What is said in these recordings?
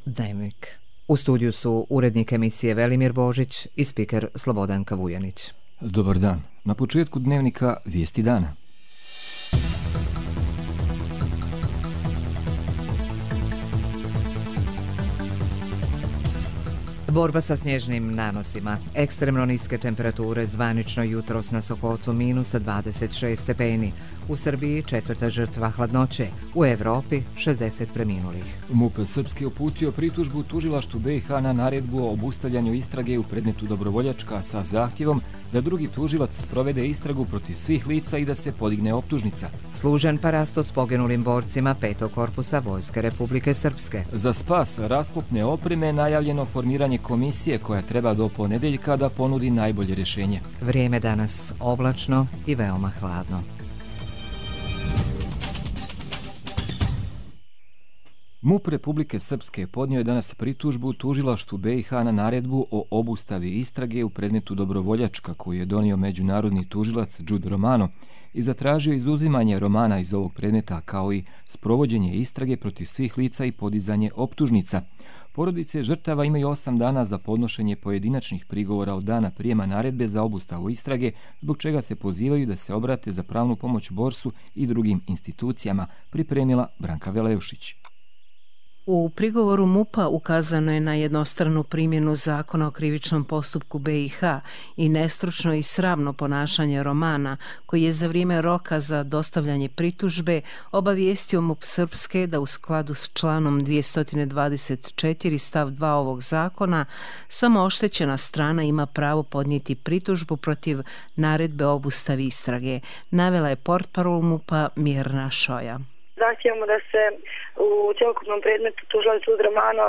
Dnevnik. U studiju su urednik emisije Velimir Božić i spiker Slobodanka Vujanić. Dobar dan. Na početku Dnevnika vijesti dana. Borba sa snježnim nanosima. Ekstremno niske temperature, zvanično jutros na Sokocu minus 26 stepeni. U Srbiji 4. žrtva hladnoće. U Evropi 60 preminulih. MUP Srpske uputio pritužbu tužilaštvu BiH na naredbu o obustavljanju istrage u predmetu Dobrovoljačka sa zahtjevom da drugi tužilac sprovede istragu protiv svih lica i da se podigne optužnica. Služen parasto s poginulim borcima 5. korpusa Vojske Republike Srpske. Za spas raskopne opreme najavljeno formiranje komisije koja treba do ponedeljka da ponudi najbolje rješenje. Vrijeme danas oblačno i veoma hladno. MUP Republike Srpske podnio je danas pritužbu tužilaštvu BiH na naredbu o obustavi istrage u predmetu Dobrovoljačka koju je donio međunarodni tužilac Đude Romano i zatražio izuzimanje Romana iz ovog predmeta kao i sprovođenje istrage protiv svih lica i podizanje optužnica. Porodice žrtava imaju 8 dana za podnošenje pojedinačnih prigovora od dana prijema naredbe za obustavu istrage, zbog čega se pozivaju da se obrate za pravnu pomoć Borsu i drugim institucijama, pripremila Branka Veleušić. U prigovoru MUP-a ukazano je na jednostranu primjenu zakona o krivičnom postupku BiH i nestručno i sramno ponašanje Romana, koji je za vrijeme roka za dostavljanje pritužbe obavijestio MUP Srpske da u skladu s članom 224 stav 2 ovog zakona samo oštećena strana ima pravo podnijeti pritužbu protiv naredbe o obustavi istrage, navela je portparol MUP-a Mirna Šoja. Zahtijevamo da se u cjelokupnom predmetu tužilac Đude Romano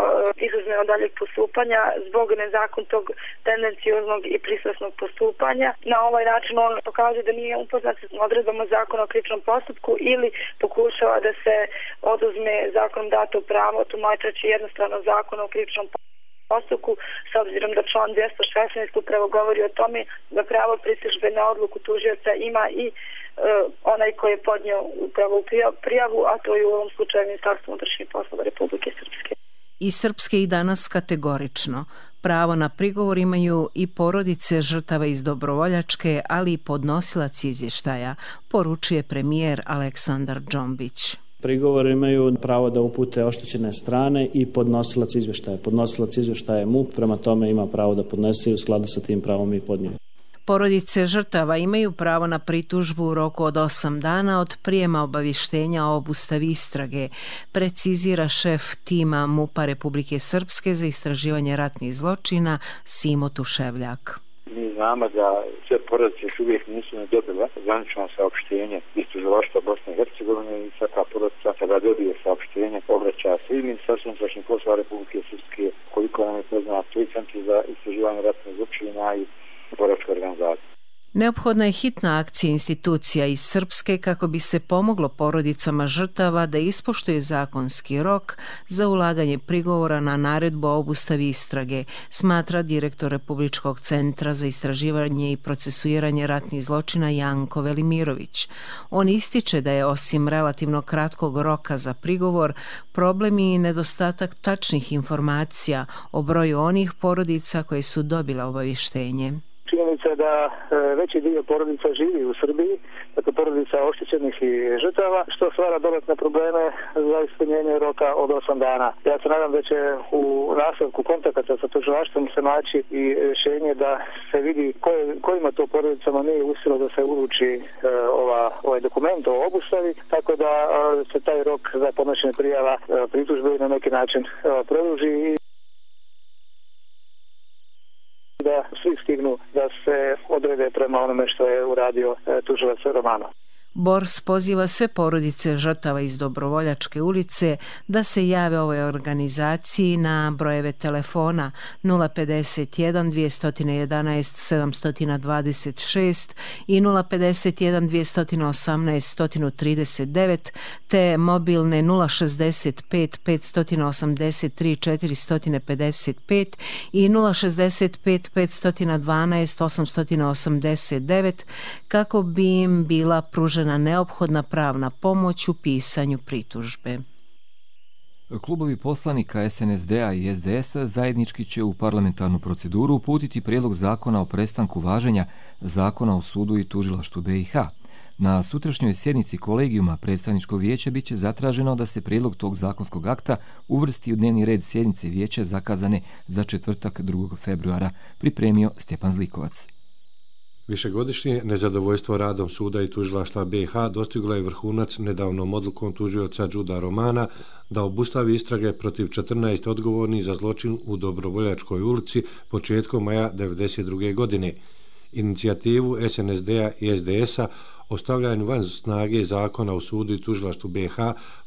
izuzme od daljeg postupanja zbog nezakonitog, tendencioznog i pristrasnog postupanja. Na ovaj način on pokazuje da nije upoznat s odredbama zakona o krivičnom postupku ili pokušava da se oduzme zakonom dato pravo tumačeći jednostrano zakon o krivičnom postupku, s obzirom da član 216 upravo govori o tome da pravo pritužbe na odluku tužioca ima i onaj koji je podnio upravo prijavu, a to je u ovom slučaju Ministarstvo unutrašnjih poslova Republike Srpske. I Srpske i danas kategorično. Pravo na prigovor imaju i porodice žrtava iz Dobrovoljačke, ali i podnosilac izvještaja, poručuje premijer Aleksandar Džombić. Prigovor imaju pravo da upute oštećene strane i podnosilac izvještaja. Podnosilac izvještaja je MUP, prema tome ima pravo da podnese i u skladu sa tim pravom i podnije. Porodice žrtava imaju pravo na pritužbu u roku od 8 dana od prijema obavještenja o obustavi istrage, precizira šef tima MUP-a Republike Srpske za istraživanje ratnih zločina Simo Tuševljak. Mi znamo da sve porodice još uvijek nisu dobile zvanično saopštenje iz tužilaštva Bosne i Hercegovine i svaka porodica kada dobije saopštenje obraća se i Ministarstvu unutrašnjih poslova Republike Srpske, koliko nam je poznato i Centru za istraživanje ratnih zločina i boračka organizacija. Neophodna je hitna akcija institucija iz Srpske kako bi se pomoglo porodicama žrtava da ispoštuje zakonski rok za ulaganje prigovora na naredbu o obustavi istrage, smatra direktor Republičkog centra za istraživanje i procesuiranje ratnih zločina Janko Velimirović. On ističe da je osim relativno kratkog roka za prigovor, problem i nedostatak tačnih informacija o broju onih porodica koje su dobile obavještenje. Činjenica je da veći dio porodica živi u Srbiji, dakle porodica oštećenih i žrtava, što stvara dodatne probleme za ispunjenje roka od 8 dana. Ja se nadam da će u nastavku kontakata sa tužilaštvom se naći i rješenje da se vidi kojima to porodicama nije uspjelo da se uruči ovaj dokument o obustavi, tako da se taj rok za podnošenje prijava pritužbe na neki način produži i da svi stignu da se odrede prema onome što je uradio tužilac Romano. Bors poziva sve porodice žrtava iz Dobrovoljačke ulice da se jave ovoj organizaciji na brojeve telefona 051 211 726 i 051 218 139 te mobilne 065 583 455 i 065 512 889 kako bi im bila pružena neophodna pravna pomoć u pisanju pritužbe. Klubovi poslanika SNSD-a i SDS-a zajednički će u parlamentarnu proceduru uputiti prijedlog zakona o prestanku važenja Zakona o sudu i tužilaštvu BiH. Na sutrašnjoj sjednici kolegijuma predstavničkog vijeća biće zatraženo da se prijedlog tog zakonskog akta uvrsti u dnevni red sjednice vijeća zakazane za četvrtak 2. februara, pripremio Stjepan Zlikovac. Višegodišnje nezadovoljstvo radom suda i tužilaštva BiH dostiglo je vrhunac nedavnom odlukom tužioca Džuda Romana da obustavi istrage protiv 14 odgovornih za zločin u Dobrovoljačkoj ulici početkom maja 1992. godine. Inicijativu SNSD-a i SDS-a o stavljanju van snage zakona o sudu i tužilaštvu BiH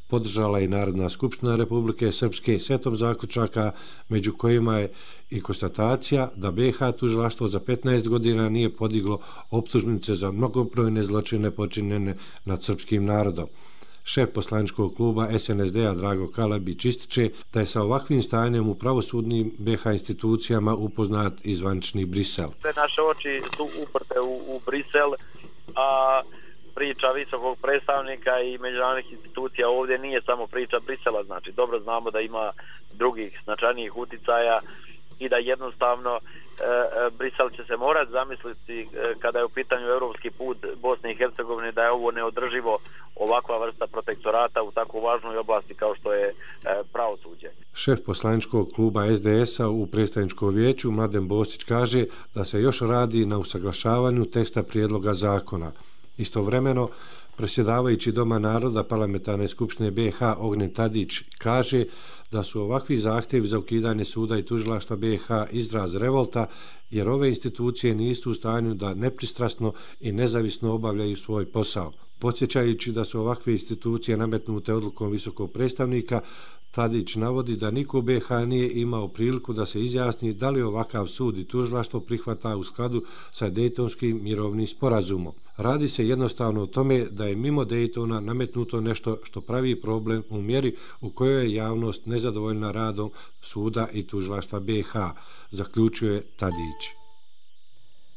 podržala i Narodna skupština Republike Srpske setom zaključaka, među kojima je i konstatacija da BiH tužilaštvo za 15 godina nije podiglo optužnice za mnogobrojne zločine počinjene nad srpskim narodom. Šef poslaničkog kluba SNSD-a Drago Kalabić ističe da je sa ovakvim stanjem u pravosudnim BiH institucijama upoznat i zvanični Brisel. Sve naše oči su uprte u Brisel, a priča visokog predstavnika i međunarodnih institucija ovdje nije samo priča Brisela, znači dobro znamo da ima drugih značajnijih uticaja i da jednostavno Brisel će se morati zamisliti kada je u pitanju europski put Bosne i Hercegovine da je ovo neodrživo, ovakva vrsta protektorata u tako važnoj oblasti kao što je pravosuđe. Šef poslaničkog kluba SDS-a u predstavničkom vijeću Mladen Bosić kaže da se još radi na usaglašavanju teksta prijedloga zakona. Istovremeno, predsjedavajući Doma naroda Parlamentarne skupštine BiH Ognjen Tadić kaže da su ovakvi zahtjevi za ukidanje suda i tužilaštva BiH izraz revolta, jer ove institucije nisu u stanju da nepristrasno i nezavisno obavljaju svoj posao. Podsjećajući da su ovakve institucije nametnute odlukom visokog predstavnika, Tadić navodi da niko u BiH nije imao priliku da se izjasni da li ovakav sud i tužilaštvo prihvata u skladu sa Dejtonskim mirovnim sporazumom. Radi se jednostavno o tome da je mimo Dejtona nametnuto nešto što pravi problem u mjeri u kojoj je javnost nezadovoljna radom suda i tužilaštva BiH, zaključuje Tadić.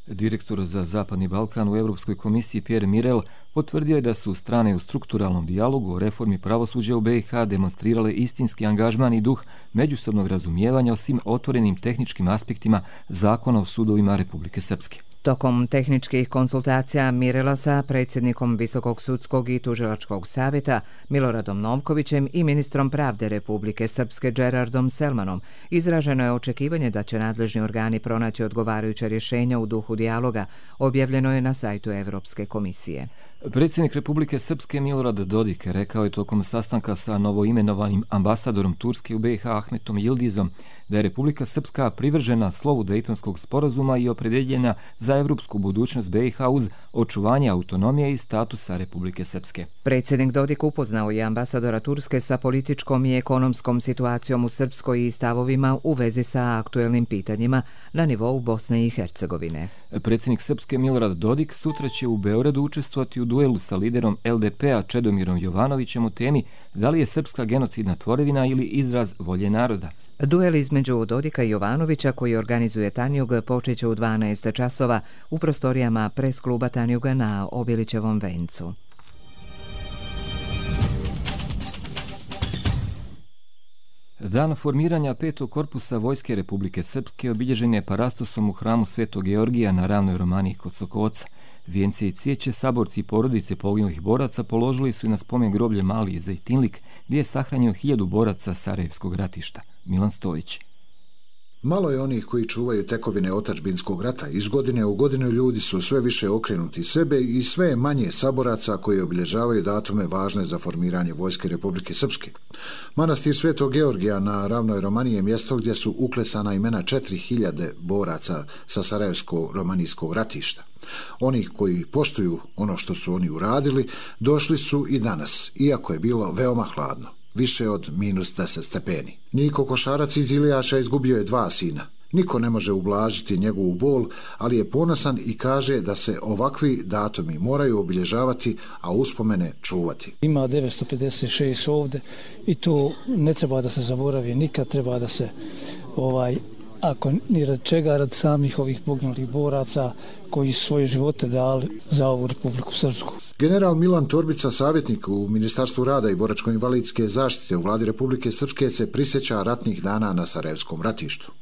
Direktor za Zapadni Balkan u Europskoj komisiji Pierre Mirel potvrdio je da su strane u strukturalnom dijalogu o reformi pravosuđa u BiH demonstrirale istinski angažman i duh međusobnog razumijevanja o svim otvorenim tehničkim aspektima Zakona o sudovima Republike Srpske. Tokom tehničkih konsultacija Mirela sa predsjednikom Visokog sudskog i tužilačkog savjeta Miloradom Novkovićem i ministrom pravde Republike Srpske Gerardom Selmanom izraženo je očekivanje da će nadležni organi pronaći odgovarajuće rješenja u duhu dijaloga, objavljeno je na sajtu Evropske komisije. Predsjednik Republike Srpske Milorad Dodik rekao je tokom sastanka sa novoimenovanim ambasadorom Turske u BiH Ahmetom Yildizom da je Republika Srpska privržena slovu Dejtonskog sporazuma i opredjeljena za evropsku budućnost BiH uz očuvanje autonomije i statusa Republike Srpske. Predsjednik Dodik upoznao je ambasadora Turske sa političkom i ekonomskom situacijom u Srpskoj i stavovima u vezi sa aktuelnim pitanjima na nivou Bosne i Hercegovine. Predsjednik Srpske Milorad Dodik sutra će u Beogradu učestvovati u duelu sa liderom LDP-a Čedomirom Jovanovićem u temi da li je srpska genocidna tvorevina ili izraz volje naroda. Duel između Dodika i Jovanovića koji organizuje Tanjug počeće u 12 časova u prostorijama pres kluba Tanjuga na Obilićevom vencu. Dan formiranja 5. korpusa Vojske Republike Srpske obilježen je parastosom u hramu Svetog Georgija na Ravnoj Romaniji kod Sokoca. Vijence i cvijeće saborci i porodice poginulih boraca položili su i na spomen groblje Mali Zejtinlik, gdje je sahranjeno 1000 boraca Sarajevskog ratišta. Milan Stojić. Malo je onih koji čuvaju tekovine otadžbinskog rata. Iz godine u godinu ljudi su sve više okrenuti sebe i sve je manje saboraca koji obilježavaju datume važne za formiranje Vojske Republike Srpske. Manastir Svetog Georgija na Ravnoj Romaniji je mjesto gdje su uklesana imena 4000 boraca sa Sarajevsko-romanijskog ratišta. Oni koji poštuju ono što su oni uradili došli su i danas, iako je bilo veoma hladno. Više od -10 stepeni. Niko Košarac iz Ilijaša izgubio je 2 sina. Niko ne može ublažiti njegovu bol, ali je ponosan i kaže da se ovakvi datumi moraju obilježavati, a uspomene čuvati. Ima 956 ovdje i to ne treba da se zaboravi, nikad treba da se ako ni rad čega, rad samih ovih poginulih boraca koji su svoje živote dali za ovu Republiku Srpsku. General Milan Torbica, savjetnik u Ministarstvu rada i boračko-invalidske zaštite u vladi Republike Srpske, se prisjeća ratnih dana na Sarajevskom ratištu.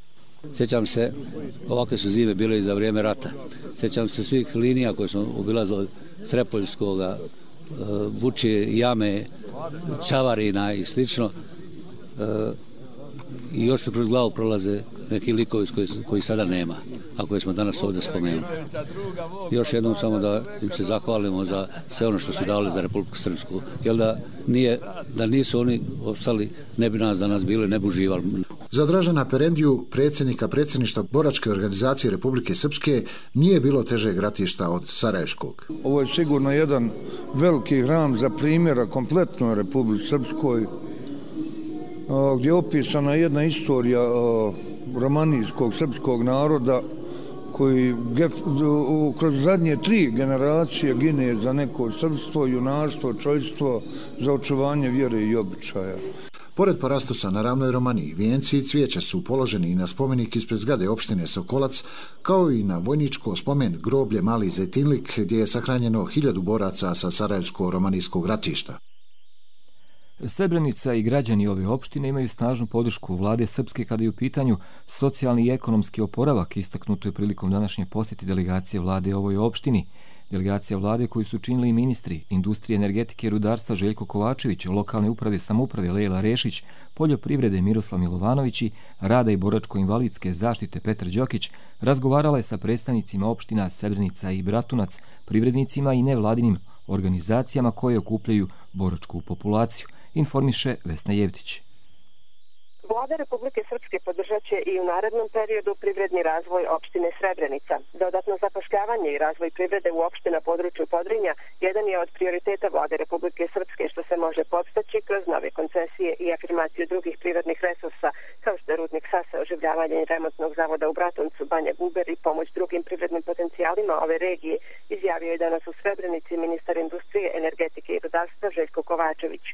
Sjećam se, ovakve su zime bile i za vrijeme rata. Sjećam se svih linija koje smo obilazili, Srepoljskoga, Vučije, Jame, Čavarina i slično. I još mi kroz glavu prolaze neki likovi koji sada nema, a koje smo danas ovdje spomenuli. Još jednom samo da im se zahvalimo za sve ono što su dali za Republiku Srpsku, jer da nisu oni ostali, ne bi nas danas bili, ne bi uživali. Za Dražana Perendiju, predsjedništva Boračke organizacije Republike Srpske, nije bilo težeg ratišta od Sarajevskog. Ovo je sigurno jedan veliki hram za primjera kompletnoj Republici Srpskoj, gdje je opisana jedna istorija romanijskog srpskog naroda koji kroz zadnje 3 generacije gine za neko srpstvo, junaštvo, čojstvo, za očuvanje vjere i običaja. Pored parastosa na ravnoj Romaniji, vijenci i cvijeća su položeni i na spomenik ispred zgrade opštine Sokolac, kao i na vojničko spomen groblje Mali Zetinlik, gdje je sahranjeno 1000 boraca sa Sarajevsko-romanijskog ratišta. Srebrenica i građani ove opštine imaju snažnu podršku vlade Srpske kada je u pitanju socijalni i ekonomski oporavak, istaknuto je prilikom današnje posjete delegacije vlade ovoj opštini. Delegacija vlade koju su činili i ministri industrije, energetike i rudarstva Željko Kovačević, lokalne uprave, samouprave Lejla Rešić, poljoprivrede Miroslav Milovanović, rada i boračko-invalidske zaštite Petar Đokić, razgovarala je sa predstavnicima opština Srebrenica i Bratunac, privrednicima i nevladinim organizacijama koje okupljaju boračku populaciju, informiše Vesna Jevtić. Vlada Republike Srpske podržat će i u narednom periodu privredni razvoj opštine Srebrenica. Dodatno zapošljavanje i razvoj privrede u opštini na području Podrinja jedan je od prioriteta Vlade Republike Srpske, što se može podstaći kroz nove koncesije i afirmaciju drugih prirodnih resursa, kao što je rudnik Sasa, oživljavanje remontnog zavoda u Bratuncu, Banja Guber i pomoć drugim privrednim potencijalima ove regije, izjavio je danas u Srebrenici ministar industrije, energetike i rudarstva Željko Kovačević.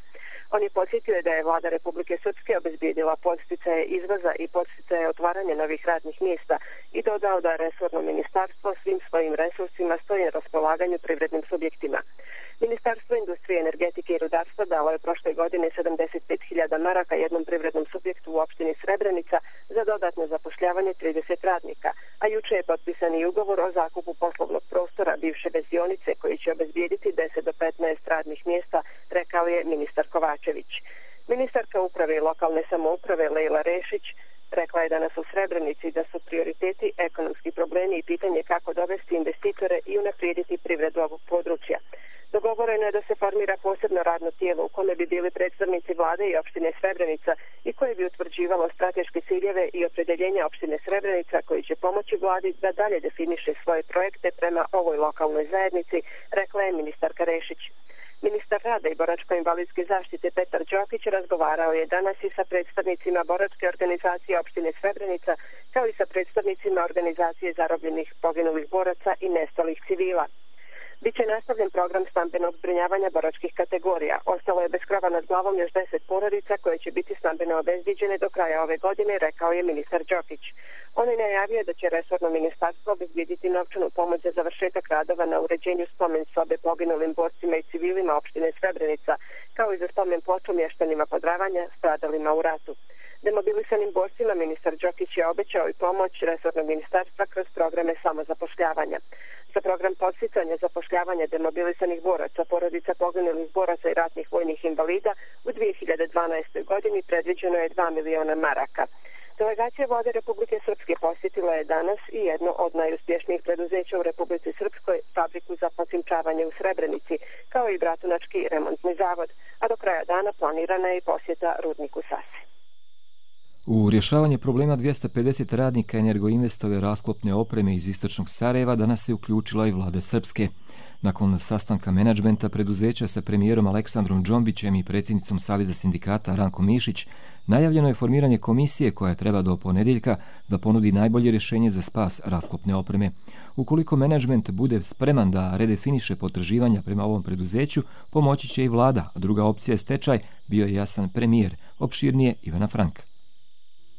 On je podsjetio da je Vlada Republike Srpske obezbijedila podsticaje izvoza i podsticaje otvaranja novih radnih mjesta i dodao da resorno ministarstvo svim svojim resursima stoji na raspolaganju privrednim subjektima. Ministarstvo industrije, energetike i rudarstva dalo je prošle godine 75.000 maraka jednom privrednom subjektu u opštini Srebrenica za dodatno zapošljavanje 30 radnika, a juče je potpisan i ugovor o zakupu poslovnog prostora bivše vezionice koji će obezbijediti 10 do 15 radnih mjesta, rekao je ministar Kovačević. Ministarka uprave i lokalne samouprave Lejla Rešić rekla je danas u Srebrenici da su prioriteti ekonomski problemi i pitanje kako dovesti investitore i unaprijediti privredu ovog područja. Dogovoreno je da se formira posebno radno tijelo u kome bi bili predstavnici vlade i opštine Srebrenica i koje bi utvrđivalo strateške ciljeve i opredeljenja opštine Srebrenica koji će pomoći vladi da dalje definiše svoje projekte prema ovoj lokalnoj zajednici, rekla je ministarka Rešić. Ministar rada i boračko-invalidske zaštite Petar Đokić razgovarao je danas i sa predstavnicima boračke organizacije opštine Srebrenica, kao i sa predstavnicima organizacije zarobljenih poginulih boraca i nestalih civila. Biće nastavljen program stambenog zbrinjavanja boračkih kategorija. Ostalo je bez krova nad glavom još 10 porodica koje će biti stambeno obezbiđene do kraja ove godine, rekao je ministar Đokić. On je najavio da će resorno ministarstvo obezbijediti novčanu pomoć za završetak radova na uređenju spomen sobe poginulim borcima i civilima opštine Srebrenica, kao i za spomen ploču mještanima Podravanja stradalima u ratu. Demobilisanim borcima ministar Đokić je obećao i pomoć resornog ministarstva kroz programe samozapošljavanja. Za program podsticanja zapošljavanja demobilisanih boraca, porodica poginulih boraca i ratnih vojnih invalida u 2012. godini predviđeno je 2 miliona maraka. Delegacija vlade Republike Srpske posjetila je danas i jedno od najuspješnijih preduzeća u Republici Srpskoj, fabriku za posimčavanje u Srebrenici, kao i Bratunački remontni zavod, a do kraja dana planirana je i posjeta rudniku Sase. U rješavanje problema 250 radnika Energoinvestove rasklopne opreme iz istočnog Sarajeva danas se uključila i vlada Srpske. Nakon sastanka menadžmenta preduzeća sa premijerom Aleksandrom Džombićem i predsjednicom Saveza sindikata Ranko Mišić, najavljeno je formiranje komisije koja treba do ponedjeljka da ponudi najbolje rješenje za spas rasklopne opreme. Ukoliko menadžment bude spreman da redefiniše potraživanja prema ovom preduzeću, pomoći će i vlada, a druga opcija je stečaj, bio je jasan premijer. Opširnije Ivana Franka.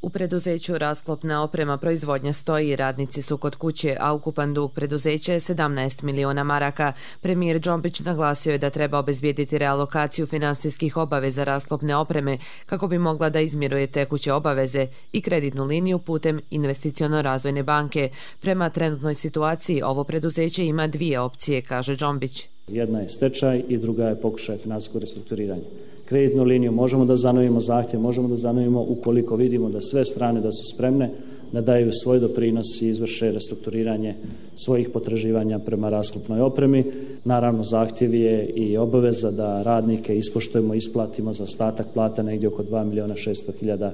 U preduzeću Rasklopna oprema proizvodnja stoji, radnici su kod kuće, a ukupan dug preduzeća je 17 miliona maraka. Premijer Džombić naglasio je da treba obezbijediti realokaciju finansijskih obaveza Rasklopne opreme kako bi mogla da izmiruje tekuće obaveze i kreditnu liniju putem Investiciono-razvojne banke. Prema trenutnoj situaciji ovo preduzeće ima dvije opcije, kaže Džombić. Jedna je stečaj i druga je pokušaj finansijskog restrukturiranja. Kreditnu liniju možemo da zanovimo zahtjev, možemo da zanovimo ukoliko vidimo da sve strane da su spremne da daju svoj doprinos i izvrše restrukturiranje svojih potraživanja prema Rasklopnoj opremi. Naravno, zahtjev je i obaveza da radnike ispoštujemo, isplatimo za ostatak plata negdje oko 2.600.000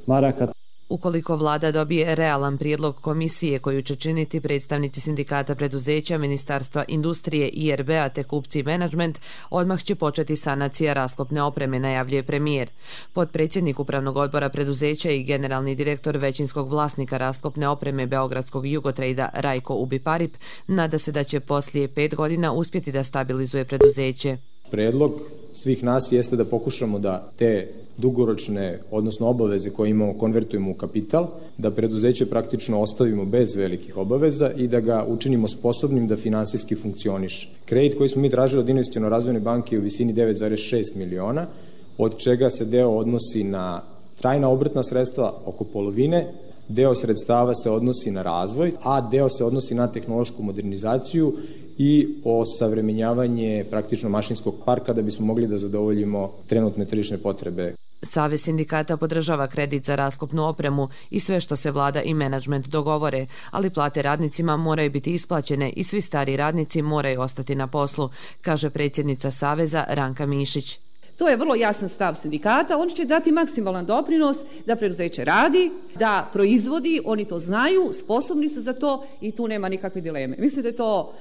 maraka. Ukoliko vlada dobije realan prijedlog komisije koju će činiti predstavnici sindikata preduzeća, Ministarstva industrije, IRB-a te kupci i menadžment, odmah će početi sanacija Rasklopne opreme, najavljuje premijer. Potpredsjednik upravnog odbora preduzeća i generalni direktor većinskog vlasnika Rasklopne opreme Beogradskog Jugotrejda Rajko Ubiparip nada se da će poslije 5 godina uspjeti da stabilizuje preduzeće. Predlog svih nas jeste da pokušamo da te dugoročne, odnosno obaveze koje imamo, konvertujemo u kapital, da preduzeće praktično ostavimo bez velikih obaveza i da ga učinimo sposobnim da finansijski funkcioniše. Kredit koji smo mi tražili od Investiciono-razvojne banke je u visini 9,6 miliona, od čega se deo odnosi na trajna obrtna sredstva, oko polovine, deo sredstava se odnosi na razvoj, a deo se odnosi na tehnološku modernizaciju i osavremenjavanje praktično mašinskog parka da bismo mogli da zadovoljimo trenutne tržišne potrebe. Savez sindikata podržava kredit za Rasklopnu opremu i sve što se vlada i menadžment dogovore, ali plate radnicima moraju biti isplaćene i svi stari radnici moraju ostati na poslu, kaže predsjednica Saveza Ranka Mišić. To je vrlo jasan stav sindikata, oni će dati maksimalan doprinos da preduzeće radi, da proizvodi, oni to znaju, sposobni su za to i tu nema nikakve dileme. Mislim da je to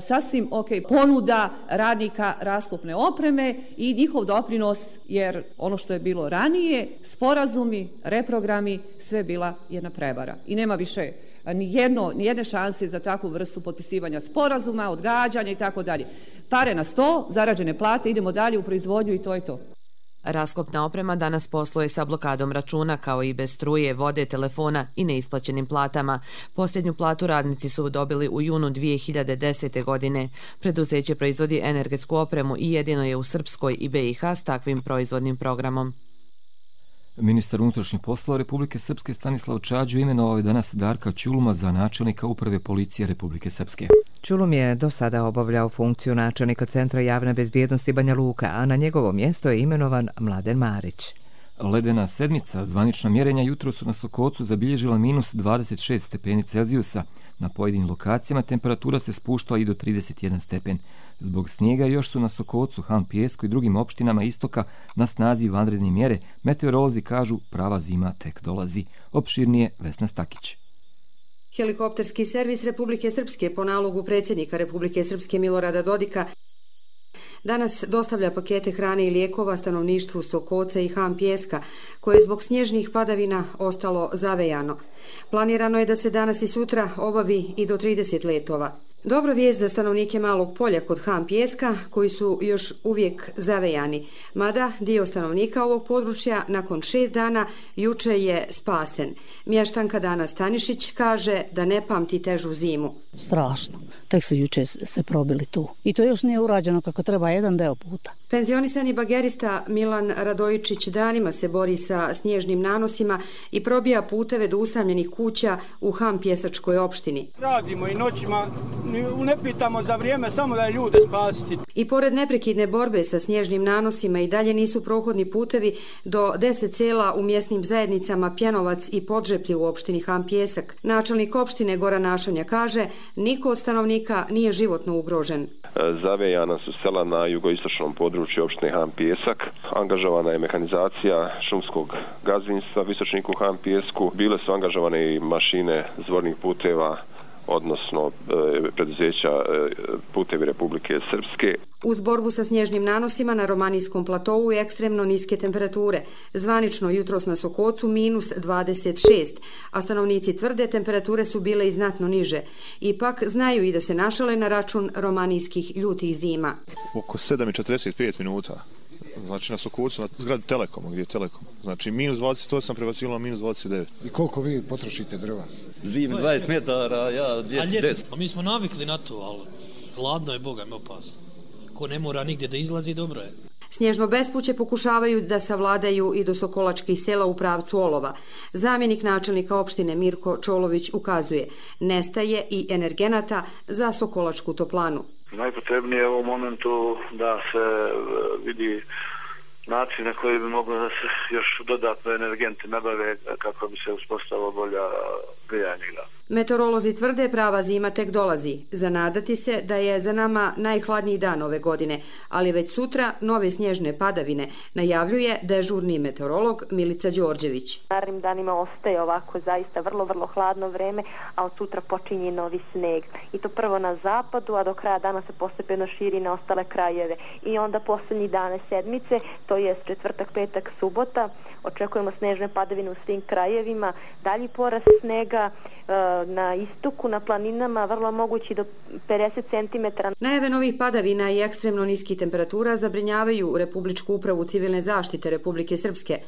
sasvim ok ponuda radnika Rasklopne opreme i njihov doprinos, jer ono što je bilo ranije, sporazumi, reprogrami, sve bila jedna prevara i nema više ni jedne šanse za takvu vrstu potpisivanja sporazuma, odgađanja i tako dalje. Pare na sto, zarađene plate, idemo dalje u proizvodnju i to je to. Rasklopna oprema danas posluje sa blokadom računa, kao i bez struje, vode, telefona i neisplaćenim platama. Posljednju platu radnici su dobili u junu 2010. godine. Preduzeće proizvodi energetsku opremu i jedino je u Srpskoj i BiH s takvim proizvodnim programom. Ministar unutrašnjih poslova Republike Srpske Stanislav Čađu imenovao je danas Darka Ćuluma za načelnika Uprave policije Republike Srpske. Ćulum je do sada obavljao funkciju načelnika Centra javne bezbjednosti Banja Luka, a na njegovo mjesto je imenovan Mladen Marić. Ledena sedmica, zvanična mjerenja jutro su na Sokocu zabilježila minus 26 stepeni Celzijusa. Na pojedinim lokacijama temperatura se spuštala i do 31 stepen. Zbog snijega još su na Sokocu, Han Pijesku i drugim opštinama istoka na snazi vanredne mjere. Meteorolozi kažu prava zima tek dolazi. Opširnije Vesna Stakić. Helikopterski servis Republike Srpske po nalogu predsjednika Republike Srpske Milorada Dodika danas dostavlja pakete hrane i lijekova stanovništvu Sokoca i Han Pijeska, koje je zbog snježnih padavina ostalo zavejano. Planirano je da se danas i sutra obavi i do 30 letova. Dobra vijest za stanovnike Malog polja kod Han Pijeska, koji su još uvijek zavejani, mada dio stanovnika ovog područja nakon 6 dana juče je spasen. Mještanka Dana Stanišić kaže da ne pamti težu zimu. Strašno. Tek su juče se probili tu. I to još nije urađeno kako treba jedan deo puta. Penzionisani bagerista Milan Radojičić danima se bori sa snježnim nanosima i probija puteve do usamljenih kuća u Han Pjesačkoj opštini. Radimo i noćima, ne pitamo za vrijeme, samo da je ljude spasiti. I pored neprekidne borbe sa snježnim nanosima i dalje nisu prohodni putevi do 10 sela u mjesnim zajednicama Pjenovac i Podžeplje u opštini Han Pjesak. Načelnik opštine Goran Našonja kaže, niko od stanovnika nije životno ugrožen. Zavejana su sela na jugoistočnom području opštine Han Pijesak. Angažovana je mehanizacija šumskog gazdinstva Visočniku Han Pijesku. Bile su angažovane i mašine zvornih puteva, odnosno preduzeća Putevi Republike Srpske. Uz borbu sa snježnim nanosima na Romanijskom platovu je ekstremno niske temperature. Zvanično jutros na Sokocu minus 26, a stanovnici tvrde temperature su bile i znatno niže. Ipak znaju i da se našale na račun romanijskih ljutih zima. Oko 7:45 minuta Znači na Sokovcu, na zgradi Telekoma, gdje je Telekom. Znači minus 28 prebacilo na minus 29. I koliko vi potrošite drva? Zim 20 metara, ja 10. Mi smo navikli na to, ali hladno je, Boga mi opasno. Ko ne mora nigdje da izlazi, dobro je. Snježno bespuće pokušavaju da savladaju i do Sokolačkih sela u pravcu Olova. Zamjenik načelnika opštine Mirko Čolović ukazuje, nestaje i energenata za Sokolačku toplanu. Najpotrebnije je u ovom momentu da se vidi način na koji bi moglo da se još dodatno energenti nabave kako bi se uspostavila bolja grijanja. Meteorolozi tvrde prava zima tek dolazi. Zanadati se da je za nama najhladniji dan ove godine, ali već sutra nove snježne padavine, najavljuje dežurni meteorolog Milica Đorđević. Narednim danima ostaje ovako zaista vrlo hladno vreme, a od sutra počinje novi sneg. I to prvo na zapadu, a do kraja dana se postepeno širi na ostale krajeve. I onda posljednji dane sedmice, to je četvrtak, petak, subota, očekujemo snežne padavine u svim krajevima, dalji porast snega na istoku, na planinama, vrlo mogući do 50 cm. Najave novih padavina i ekstremno niskih temperatura zabrinjavaju Republičku upravu civilne zaštite Republike Srpske.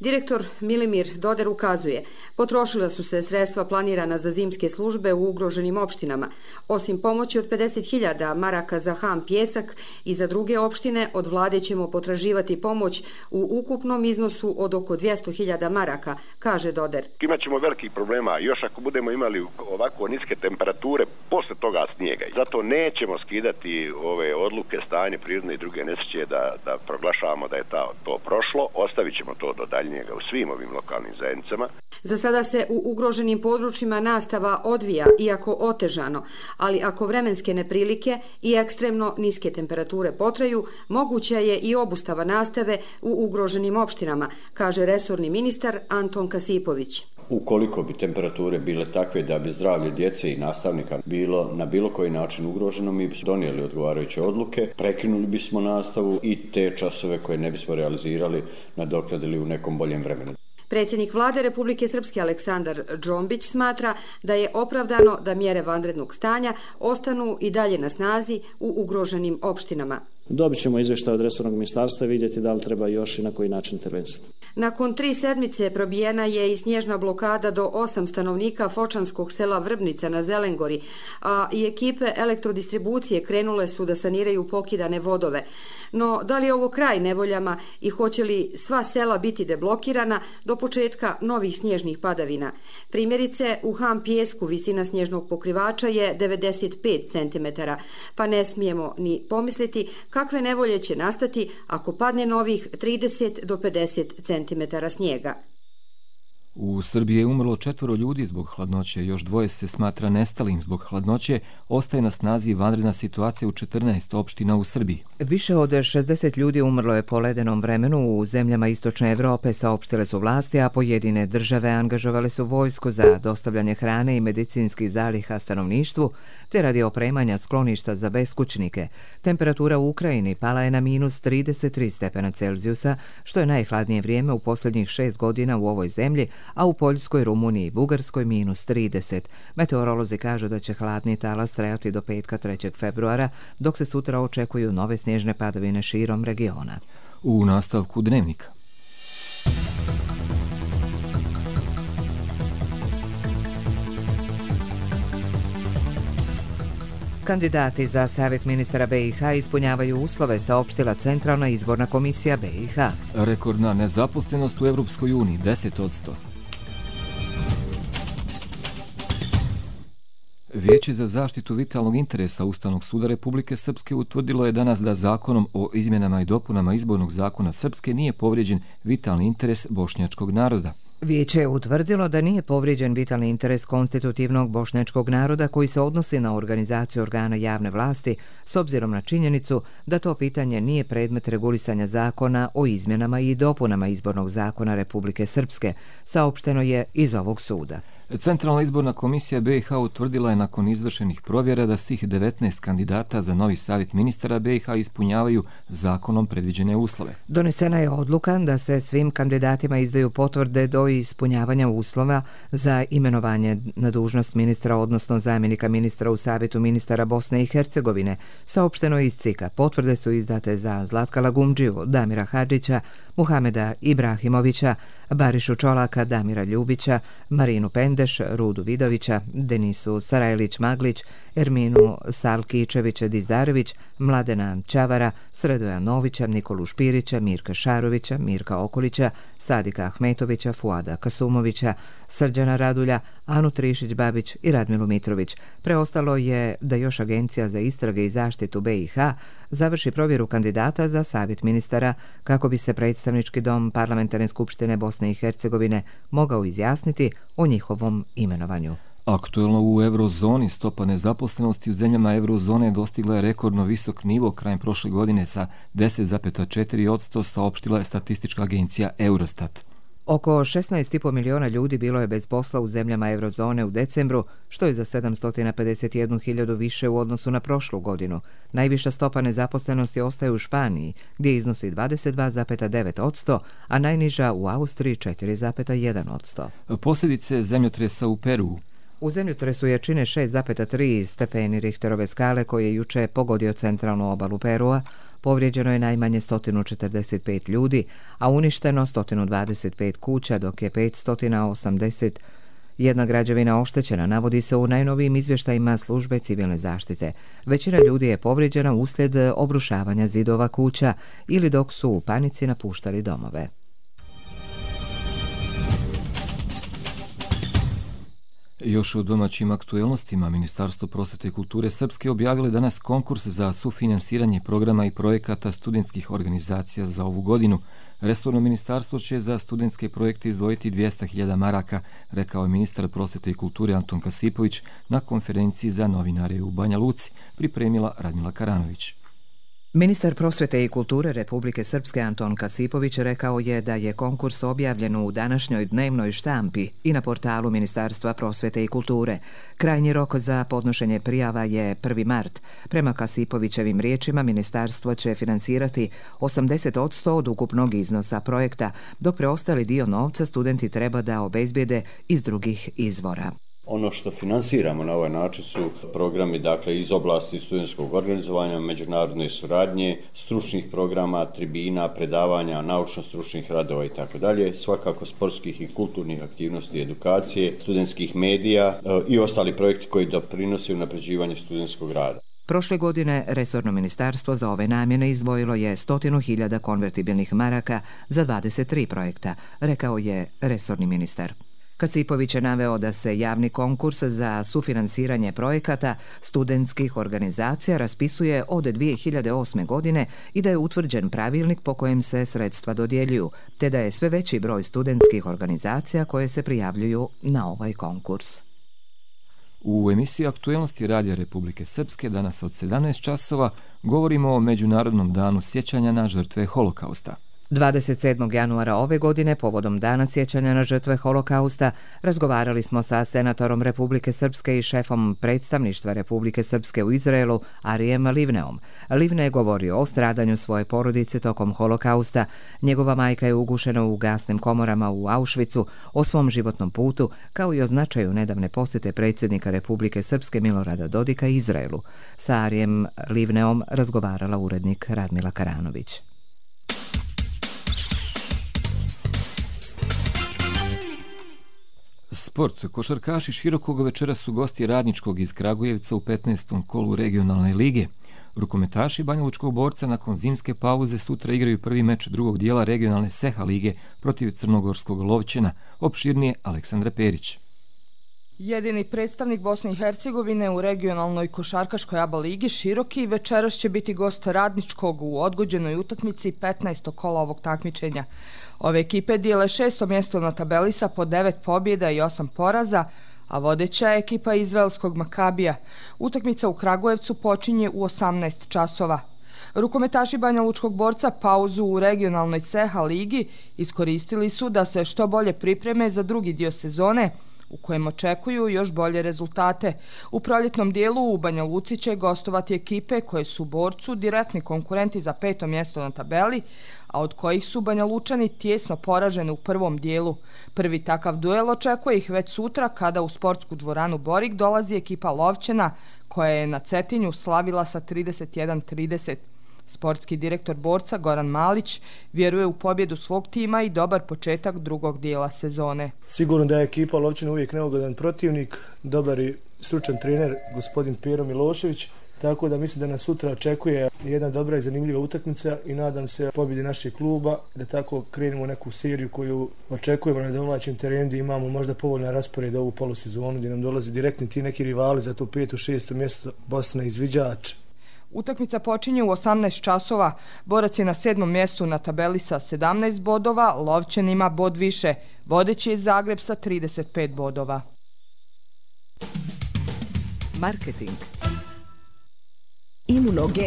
Direktor Milimir Doder ukazuje, potrošila su se sredstva planirana za zimske službe u ugroženim opštinama. Osim pomoći od 50.000 maraka za Han Pjesak i za druge opštine, od vlade ćemo potraživati pomoć u ukupnom iznosu od oko 200.000 maraka, kaže Doder. Imaćemo velikih problema, još ako budemo imali ovako niske temperature posle toga snijega. Zato nećemo skidati ove odluke, stanje prirodne i druge nesreće da proglašavamo da je to prošlo, ostavit ćemo to do dalje u svim ovim lokalnim zajednicama. Za sada se u ugroženim područjima nastava odvija, iako otežano, ali ako vremenske neprilike i ekstremno niske temperature potraju, moguća je i obustava nastave u ugroženim opštinama, kaže resorni ministar Anton Kasipović. Ukoliko bi temperature bile takve da bi zdravlje djece i nastavnika bilo na bilo koji način ugroženo, mi bismo donijeli odgovarajuće odluke, prekinuli bismo nastavu i te časove koje ne bismo realizirali nadoknadili u nekom boljem vremenu. Predsjednik vlade Republike Srpske Aleksandar Džombić smatra da je opravdano da mjere vanrednog stanja ostanu i dalje na snazi u ugroženim opštinama. Dobit ćemo izvještaj od resornog ministarstva i vidjeti da li treba još i na koji način intervenisati. Nakon 3 sedmice probijena je i snježna blokada do 8 stanovnika fočanskog sela Vrbnica na Zelengori, a i ekipe elektrodistribucije krenule su da saniraju pokidane vodove. No, da li je ovo kraj nevoljama i hoće li sva sela biti deblokirana do početka novih snježnih padavina? Primjerice, u Han Pjesku visina snježnog pokrivača je 95 cm, pa ne smijemo ni pomisliti kakve nevolje će nastati ako padne novih 30 do 50 cm snijega. U Srbiji je umrlo 4 ljudi zbog hladnoće, još 2 se smatra nestalim zbog hladnoće, ostaje na snazi vanredna situacija u 14 opština u Srbiji. Više od 60 ljudi umrlo je po ledenom vremenu u zemljama Istočne Evrope, saopštile su vlasti, a pojedine države angažovale su vojsku za dostavljanje hrane i medicinskih zaliha stanovništvu, te radi opremanja skloništa za beskućnike. Temperatura u Ukrajini pala je na minus 33 stepena Celzijusa, što je najhladnije vrijeme u posljednjih 6 godina u ovoj zemlji, a u Poljskoj, Rumuniji i Bugarskoj minus 30. Meteorolozi kažu da će hladni talas trajati do petka 3. februara, dok se sutra očekuju nove snježne padavine širom regiona. U nastavku Dnevnika. Kandidati za savjet ministara BiH ispunjavaju uslove, saopštila Centralna izborna komisija BiH. Rekordna nezaposlenost u Evropskoj uniji 10%. Vijeće za zaštitu vitalnog interesa Ustavnog suda Republike Srpske utvrdilo je danas da zakonom o izmjenama i dopunama izbornog zakona Srpske nije povrijeđen vitalni interes bošnjačkog naroda. Vijeće je utvrdilo da nije povrijeđen vitalni interes konstitutivnog bošnjačkog naroda koji se odnosi na organizaciju organa javne vlasti s obzirom na činjenicu da to pitanje nije predmet regulisanja zakona o izmjenama i dopunama izbornog zakona Republike Srpske, saopšteno je iz ovog suda. Centralna izborna komisija BiH utvrdila je nakon izvršenih provjera da svih 19 kandidata za novi savjet ministara BiH ispunjavaju zakonom predviđene uslove. Donesena je odluka da se svim kandidatima izdaju potvrde do ispunjavanja uslova za imenovanje na dužnost ministra, odnosno zamjenika ministra u Savjetu ministara Bosne i Hercegovine, saopšteno iz CIK-a. Potvrde su izdate za Zlatka Lagumdžiju, Damira Hadžića, Muhameda Ibrahimovića, Barišu Čolaka, Damira Ljubića, Marinu Pendeš, Rudu Vidovića, Denisu Sarajlić-Maglić, Erminu Salkičevića-Dizdarević, Mladena Ćavara, Sredoja Novića, Nikolu Špirića, Mirka Šarovića, Mirka Okolića, Sadika Ahmetovića, Fuada Kasumovića, Srđana Radulja, Anu Trišić-Babić i Radmilu Mitrović. Preostalo je da još Agencija za istrage i zaštitu BiH završi provjeru kandidata za Savjet ministara kako bi se Predstavnički dom Parlamentarne skupštine Bosne i Hercegovine mogao izjasniti o njihovom imenovanju. Aktuelno u eurozoni stopa nezaposlenosti u zemljama eurozone dostigla je rekordno visok nivo krajem prošle godine sa 10,4%, saopštila je statistička agencija Eurostat. Oko 16,5 miliona ljudi bilo je bez posla u zemljama eurozone u decembru, što je za 751.000 više u odnosu na prošlu godinu. Najviša stopa nezaposlenosti ostaje u Španiji, gdje iznosi 22,9%, a najniža u Austriji 4,1%. Posljedice zemljotresa u Peruu. U zemljotresu jačine 6,3 stepeni Richterove skale koji je juče pogodio centralnu obalu Perua, povrijeđeno je najmanje 145 ljudi, a uništeno 125 kuća, dok je 581 građevina oštećena, navodi se u najnovijim izvještajima službe civilne zaštite. Većina ljudi je povrijeđena uslijed obrušavanja zidova kuća ili dok su u panici napuštali domove. Još o domaćim aktuelnostima, Ministarstvo prosvete i kulture Srpske objavilo danas konkurs za sufinansiranje programa i projekata studentskih organizacija za ovu godinu. Resorno ministarstvo će za studentske projekte izdvojiti 200.000 maraka, rekao je ministar prosvete i kulture Anton Kasipović na konferenciji za novinare u Banja Luci, pripremila Radmila Karanović. Ministar prosvete i kulture Republike Srpske Anton Kasipović rekao je da je konkurs objavljen u današnjoj dnevnoj štampi i na portalu Ministarstva prosvete i kulture. Krajnji rok za podnošenje prijava je 1. mart. Prema Kasipovićevim riječima, ministarstvo će finansirati 80% od ukupnog iznosa projekta, dok preostali dio novca studenti treba da obezbijede iz drugih izvora. Ono što finansiramo na ovaj način su programi iz oblasti studentskog organizovanja, međunarodne suradnje, stručnih programa, tribina, predavanja, naučno-stručnih radova itd. Svakako sportskih i kulturnih aktivnosti, edukacije, studentskih medija i ostali projekti koji doprinose unapređivanju studentskog rada. Prošle godine resorno ministarstvo za ove namjene izdvojilo je 100.000 konvertibilnih maraka za 23 projekta, rekao je resorni ministar. Kasipović je naveo da se javni konkurs za sufinansiranje projekata studentskih organizacija raspisuje od 2008. godine i da je utvrđen pravilnik po kojem se sredstva dodjeljuju, te da je sve veći broj studentskih organizacija koje se prijavljuju na ovaj konkurs. U emisiji Aktuelnosti Radija Republike Srpske danas od 17 časova govorimo o Međunarodnom danu sjećanja na žrtve Holokausta. 27. januara ove godine, povodom Dana sjećanja na žrtve Holokausta, razgovarali smo sa senatorom Republike Srpske i šefom predstavništva Republike Srpske u Izraelu, Arijem Livneom. Livne je govorio o stradanju svoje porodice tokom Holokausta. Njegova majka je ugušena u gasnim komorama u Auschwitzu, o svom životnom putu, kao i o značaju nedavne posjete predsjednika Republike Srpske Milorada Dodika Izraelu. Sa Arijem Livneom razgovarala urednik Radmila Karanović. Sport. Košarkaši Širokog večeras su gosti Radničkog iz Kragujevca u 15. kolu regionalne lige. Rukometaši Banjalučkog Borca nakon zimske pauze sutra igraju prvi meč drugog dijela regionalne Seha lige protiv Crnogorskog Lovćena. Opširnije Aleksandra Perić. Jedini predstavnik Bosne i Hercegovine u regionalnoj košarkaškoj ABA ligi Široki večeras će biti gost Radničkog u odgođenoj utakmici 15. kola ovog takmičenja. Ove ekipe dijele 6. mjesto na tabeli sa po 9 pobjeda i 8 poraza, a vodeća je ekipa izraelskog Makabija. Utakmica u Kragujevcu počinje u 18 časova. Rukometaši Banjalučkog Borca pauzu u regionalnoj Seha ligi iskoristili su da se što bolje pripreme za drugi dio sezone, u kojem očekuju još bolje rezultate. U proljetnom dijelu u Banja Luci će gostovati ekipe koje su borcu direktni konkurenti za 5. mjesto na tabeli, a od kojih su Banja Lučani tijesno poraženi u prvom dijelu. Prvi takav duel očekuje ih već sutra kada u sportsku dvoranu Borik dolazi ekipa Lovćena koja je na Cetinju slavila sa 31-30. Sportski direktor borca Goran Malić vjeruje u pobjedu svog tima i dobar početak drugog dijela sezone. Sigurno da je ekipa Lovćena uvijek neugodan protivnik, dobar i stručan trener gospodin Pero Milošević, tako da mislim da nas sutra očekuje jedna dobra i zanimljiva utakmica i nadam se pobjedi našeg kluba, da tako krenemo u neku seriju koju očekujemo na domaćem terenu, da imamo možda povoljna raspored ovu polusezonu gdje nam dolazi direktni ti neki rivali za to 5. 6. mjesto, Bosna izviđač. Utakmica počinje u 18 časova. Borac je na 7. mjestu na tabeli sa 17 bodova, Lovćen ima bod više. Vodeći je Zagreb sa 35 bodova. Marketing. Imuno-G.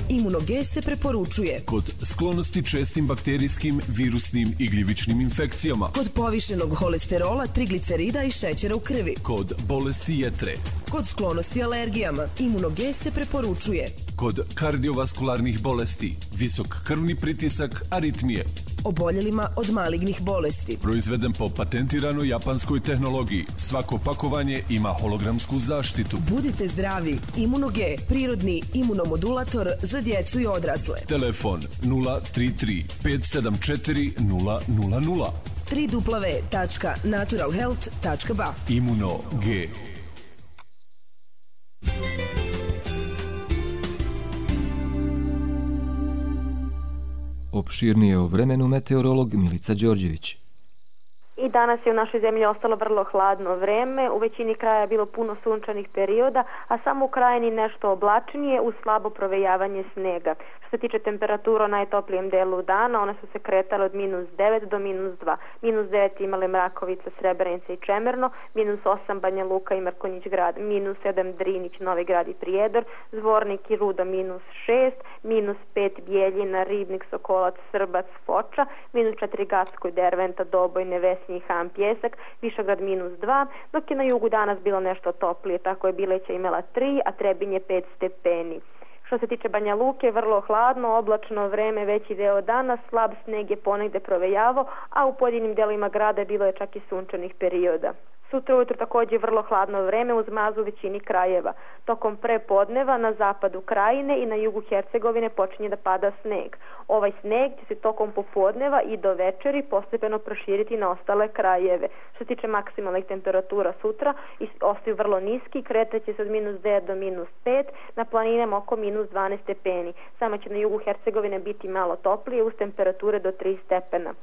Imuno-G se preporučuje kod sklonosti čestim bakterijskim, virusnim i gljivičnim infekcijama, kod povišenog holesterola, triglicerida i šećera u krvi, kod bolesti jetre, kod sklonosti alergijama. Imuno-G se preporučuje kod kardiovaskularnih bolesti, visok krvni pritisak, aritmije, oboljelima od malignih bolesti. Proizveden po patentiranoj japanskoj tehnologiji. Svako pakovanje ima hologramsku zaštitu. Budite zdravi. Imuno-G, prirodni imunomodulator za djecu i odrasle. Telefon 033 574 000. www.naturalhealth.ba. Imuno-G. Opširnije o vremenu meteorolog Milica Đorđević. I danas je u našoj zemlji ostalo vrlo hladno vreme, u većini kraja je bilo puno sunčanih perioda, a samo u krajini nešto oblačnije uz slabo provejavanje snega. Što se tiče temperatura u najtoplijem delu dana, one su se kretale od -9 do -2. -9 imale Mrakovica, Srebrenica i Čemerno, -8 Banja Luka i Mrkonjić grad, -7 Drinić, Novi Grad i Prijedor, Zvornik i Ruda -6, -5 Bijeljina, Ribnik, Sokolac, Srbac, Foča, -4 Gacko i Derventa, Doboj, Nevesinje i Han Pjesak, Višegrad -2, dok je na jugu danas bilo nešto toplije, tako je Bileća imala 3, a Trebinje 5 stepeni. Što se tiče Banja Luke, vrlo hladno, oblačno vreme veći deo dana, slab sneg je ponegde provejavao, a u pojedinim delovima grada bilo je čak i sunčanih perioda. Sutra ujutro također vrlo hladno vreme uz mrazu u većini krajeva. Tokom prepodneva na zapadu krajine i na jugu Hercegovine počinje da pada sneg. Ovaj sneg će se tokom popodneva i do večeri postepeno proširiti na ostale krajeve. Što se tiče maksimalnih temperatura sutra, ostaju vrlo niski, kretaće se od -9 do -5, na planinama oko -12 stepeni. Samo će na jugu Hercegovine biti malo toplije uz temperature do 3 stepena.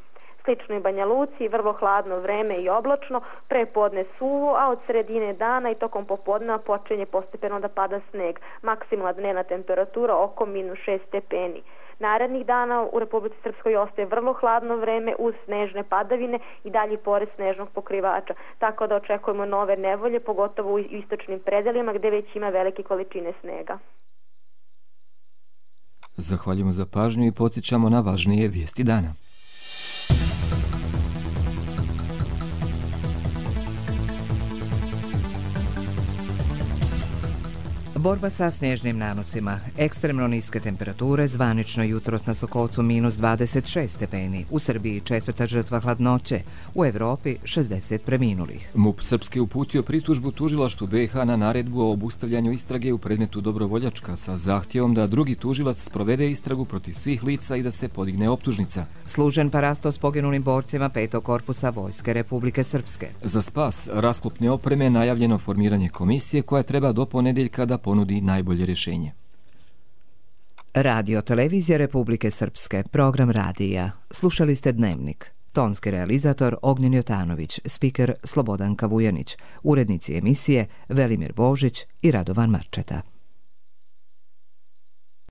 Slično i Banja Luci, vrlo hladno vreme i oblačno, prepodne suvo, a od sredine dana i tokom popodneva počinje postepeno da pada sneg. Maksimalna dnevna temperatura oko -6 stepeni. Narednih dana u Republici Srpskoj ostaje vrlo hladno vreme uz snežne padavine i dalji pored snežnog pokrivača, tako da očekujemo nove nevolje, pogotovo u istočnim predelima gde već ima velike količine snega. Zahvaljujemo za pažnju i podsjećamo na važnije vijesti dana. Borba sa snježnim nanosima. Ekstremno niske temperature, zvanično jutros na Sokolcu -26 stepeni. U Srbiji 4. žrtva hladnoće. U Evropi 60 preminulih. MUP Srpske uputio pritužbu tužilaštvu BiH na naredbu o obustavljanju istrage u predmetu Dobrovoljačka sa zahtjevom da drugi tužilac sprovede istragu protiv svih lica i da se podigne optužnica. Služen parasto s poginulim borcima 5. korpusa Vojske Republike Srpske. Za spas rasklopne opreme najavljeno formiranje komisije koja treba do ponedeljka da ponudi najbolje rješenje. Radio Televizija Republike Srpske, program radija. Slušali ste Dnevnik. Tonski realizator Ognjen Jotanović, spiker Slobodan Kavujanić, urednici emisije Velimir Božić i Radovan Marčeta.